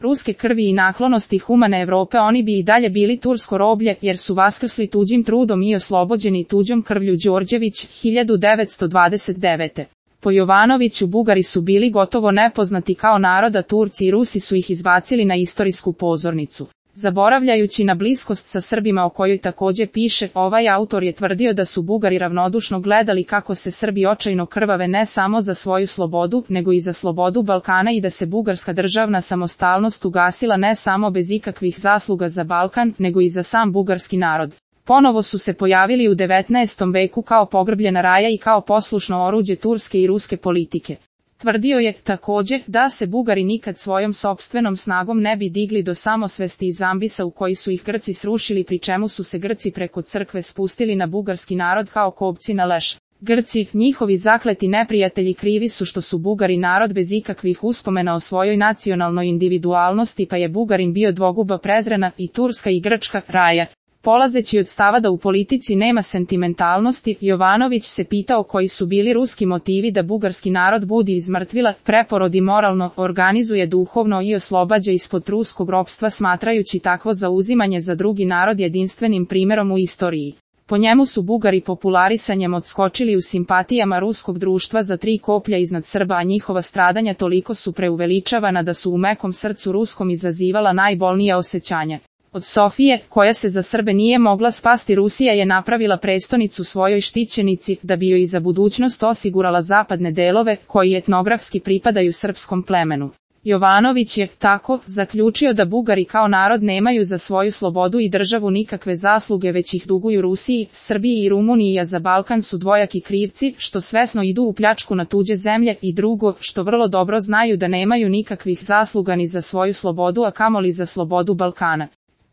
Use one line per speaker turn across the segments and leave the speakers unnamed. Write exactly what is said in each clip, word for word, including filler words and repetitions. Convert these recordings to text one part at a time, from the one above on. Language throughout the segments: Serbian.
ruske krvi i naklonosti humane Evrope oni bi i dalje bili tursko roblje, jer su vaskrsli tuđim trudom i oslobođeni tuđom krvlju. Đorđević, hiljadu devetsto dvadeset devete. Po Jovanoviću Bugari su bili gotovo nepoznati kao naroda, Turci i Rusi su ih izbacili na istorijsku pozornicu. Zaboravljajući na bliskost sa Srbima o kojoj takođe piše, ovaj autor je tvrdio da su Bugari ravnodušno gledali kako se Srbi očajno krvave ne samo za svoju slobodu, nego i za slobodu Balkana i da se bugarska državna samostalnost ugasila ne samo bez ikakvih zasluga za Balkan, nego i za sam bugarski narod. Ponovo su se pojavili u devetnaestom veku kao pogrbljena raja i kao poslušno oruđe turske i ruske politike. Tvrdio je, takođe, da se Bugari nikad svojom sopstvenom snagom ne bi digli do samosvesti iz ambisa u koji su ih Grci srušili, pri čemu su se Grci preko crkve spustili na bugarski narod kao kobci na leš. Grci, njihovi zakleti neprijatelji, krivi su što su Bugari narod bez ikakvih uspomena o svojoj nacionalnoj individualnosti, pa je Bugarin bio dvoguba prezrena i turska i grčka raja. Polazeći od stava da u politici nema sentimentalnosti, Jovanović se pitao koji su bili ruski motivi da bugarski narod budi iz mrtvila, preporodi moralno, organizuje duhovno i oslobađa ispod ruskog ropstva, smatrajući takvo zauzimanje za drugi narod jedinstvenim primerom u istoriji. Po njemu su Bugari popularisanjem odskočili u simpatijama ruskog društva za tri koplja iznad Srba, a njihova stradanja toliko su preuveličavana da su u mekom srcu ruskom izazivala najbolnija osjećanja. Od Sofije, koja se za Srbe nije mogla spasti, Rusija je napravila prestonicu svojoj štićenici, da bi joj i za budućnost osigurala zapadne delove, koji etnografski pripadaju srpskom plemenu. Jovanović je, tako, zaključio da Bugari kao narod nemaju za svoju slobodu i državu nikakve zasluge, već ih duguju Rusiji, Srbiji i Rumuniji, a za Balkan su dvojaki krivci, što svesno idu u pljačku na tuđe zemlje, i drugo, što vrlo dobro znaju da nemaju nikakvih zasluga ni za svoju slobodu, a kamoli za slobodu Balkana.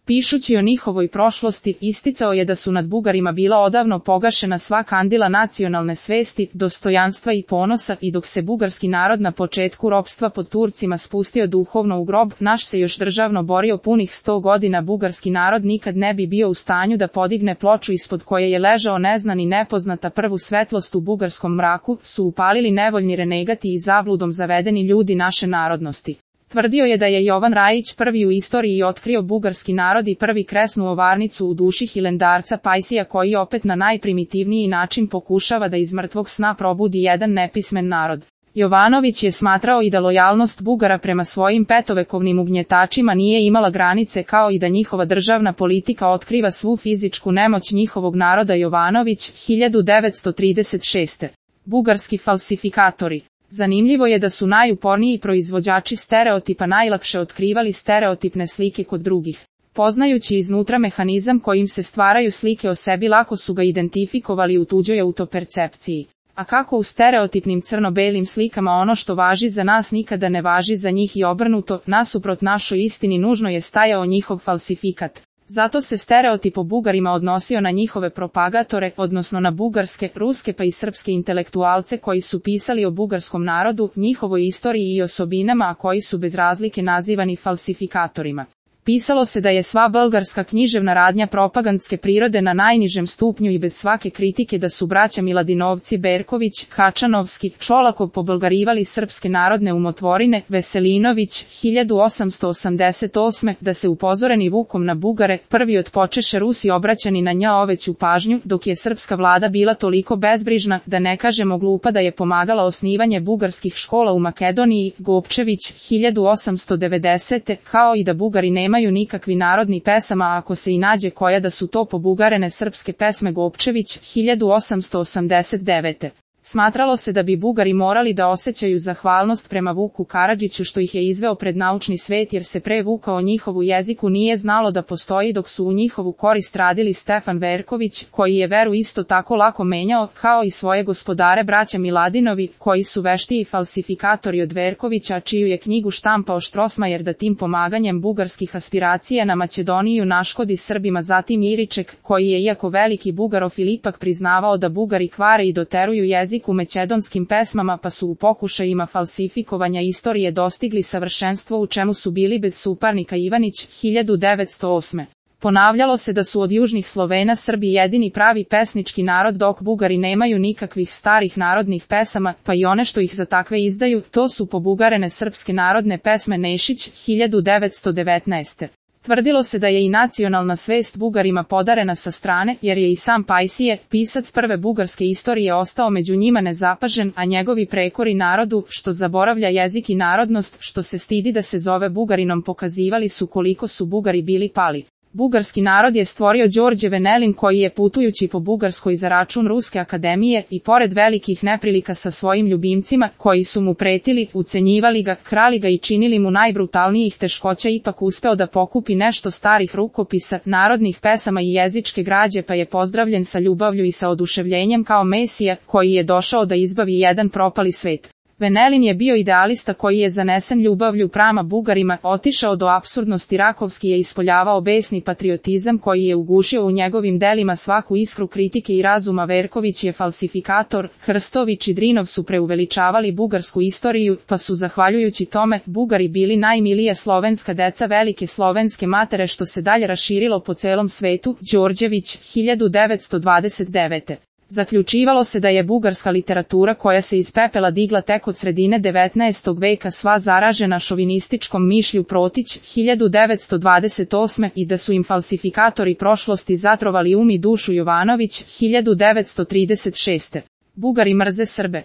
Pišući o njihovoj prošlosti, isticao je da su nad Bugarima bila odavno pogašena sva kandila nacionalne svesti, dostojanstva i ponosa, i dok se bugarski narod na početku ropstva pod Turcima spustio duhovno u grob, naš se još državno borio punih sto godina, bugarski narod nikad ne bi bio u stanju da podigne ploču ispod koje je ležao neznan i nepoznata. Prvu svetlost u bugarskom mraku su upalili nevoljni renegati i zabludom zavedeni ljudi naše narodnosti. Tvrdio je da je Jovan Rajić prvi u istoriji otkrio bugarski narod i prvi kresnu ovarnicu u duši hilendarca Pajsija, koji opet na najprimitivniji način pokušava da iz mrtvog sna probudi jedan nepismen narod. Jovanović je smatrao i da lojalnost Bugara prema svojim petovekovnim ugnjetačima nije imala granice, kao i da njihova državna politika otkriva svu fizičku nemoć njihovog naroda. Jovanović, hiljadu devetsto trideset šeste. Bugarski falsifikatori. Zanimljivo je da su najuporniji proizvođači stereotipa najlakše otkrivali stereotipne slike kod drugih. Poznajući iznutra mehanizam kojim se stvaraju slike o sebi, lako su ga identifikovali u tuđoj autopercepciji. A kako u stereotipnim crno-belim slikama ono što važi za nas nikada ne važi za njih i obrnuto, nasuprot našoj istini nužno je stajao njihov falsifikat. Zato se stereotip o Bugarima odnosio na njihove propagatore, odnosno na bugarske, ruske pa i srpske intelektualce koji su pisali o bugarskom narodu, njihovoj istoriji i osobinama, a koji su bez razlike nazivani falsifikatorima. Pisalo se da je sva bugarska književna radnja propagandske prirode na najnižem stupnju i bez svake kritike, da su braća Miladinovci, Berković, Hačanovski, Čolakov pobulgarivali srpske narodne umotvorine, Veselinović, hiljadu osamsto osamdeset osme, da se upozoreni Vukom na Bugare, prvi otpočeše Rusi obraćani na nja oveću pažnju, dok je srpska vlada bila toliko bezbrižna, da ne kažemo glupa, da je pomagala osnivanje bugarskih škola u Makedoniji. Gopčević, hiljadu osamsto devedesete, kao i da Bugari nemaju nikakvi narodni pesama, a ako se i nađe koja, da su to pobugarene srpske pesme. Gopčević, hiljadu osamsto osamdeset devete. Smatralo se da bi Bugari morali da osjećaju zahvalnost prema Vuku Karadžiću što ih je izveo pred naučni svet, jer se pre Vuka o njihovu jeziku nije znalo da postoji, dok su u njihovu korist radili Stefan Verković, koji je veru isto tako lako menjao, kao i svoje gospodare braća Miladinovi, koji su veštiji falsifikatori od Verkovića, čiju je knjigu štampao Štrosmajer, da tim pomaganjem bugarskih aspiracija na Makedoniju naškodi Srbima. Zatim Iriček, koji je iako veliki bugarofil ipak priznavao da Bugari kvare i doteruju jezik u makedonskim pesmama, pa su u pokušajima falsifikovanja istorije dostigli savršenstvo u čemu su bili bez suparnika. Ivanić, hiljadu devetsto osme. Ponavljalo se da su od južnih Slovena Srbi jedini pravi pesnički narod dok Bugari nemaju nikakvih starih narodnih pesama, pa i one što ih za takve izdaju, to su pobugarene srpske narodne pesme Nešić, hiljadu devetsto devetnaeste. Tvrdilo se da je i nacionalna svest Bugarima podarena sa strane, jer je i sam Pajsije, pisac prve bugarske istorije, ostao među njima nezapažen, a njegovi prekori narodu, što zaboravlja jezik i narodnost, što se stidi da se zove Bugarinom, pokazivali su koliko su Bugari bili pali. Bugarski narod je stvorio Đorđe Venelin koji je putujući po Bugarskoj za račun Ruske akademije i pored velikih neprilika sa svojim ljubimcima, koji su mu pretili, ucenjivali ga, krali ga i činili mu najbrutalnijih teškoća, ipak uspeo da pokupi nešto starih rukopisa, narodnih pesama i jezičke građe, pa je pozdravljen sa ljubavlju i sa oduševljenjem kao Mesija, koji je došao da izbavi jedan propali svet. Venelin je bio idealista koji je zanesen ljubavlju prama Bugarima, otišao do apsurdnosti, rakovski je ispoljavao besni patriotizam koji je ugušio u njegovim delima svaku iskru kritike i razuma. Verković je falsifikator, Hrstović i Drinov su preuveličavali bugarsku istoriju, pa su zahvaljujući tome Bugari bili najmilije slovenska deca velike slovenske matere, što se dalje raširilo po celom svetu. Đorđević, hiljadu devetsto dvadeset devete. Zaključivalo se da je bugarska literatura koja se iz pepela digla tek od sredine devetnaestog veka sva zaražena šovinističkom mišlju. Protić, hiljadu devetsto dvadeset osme. i da su im falsifikatori prošlosti zatrovali um i dušu. Jovanović, hiljadu devetsto trideset šeste. Bugari mrze Srbe.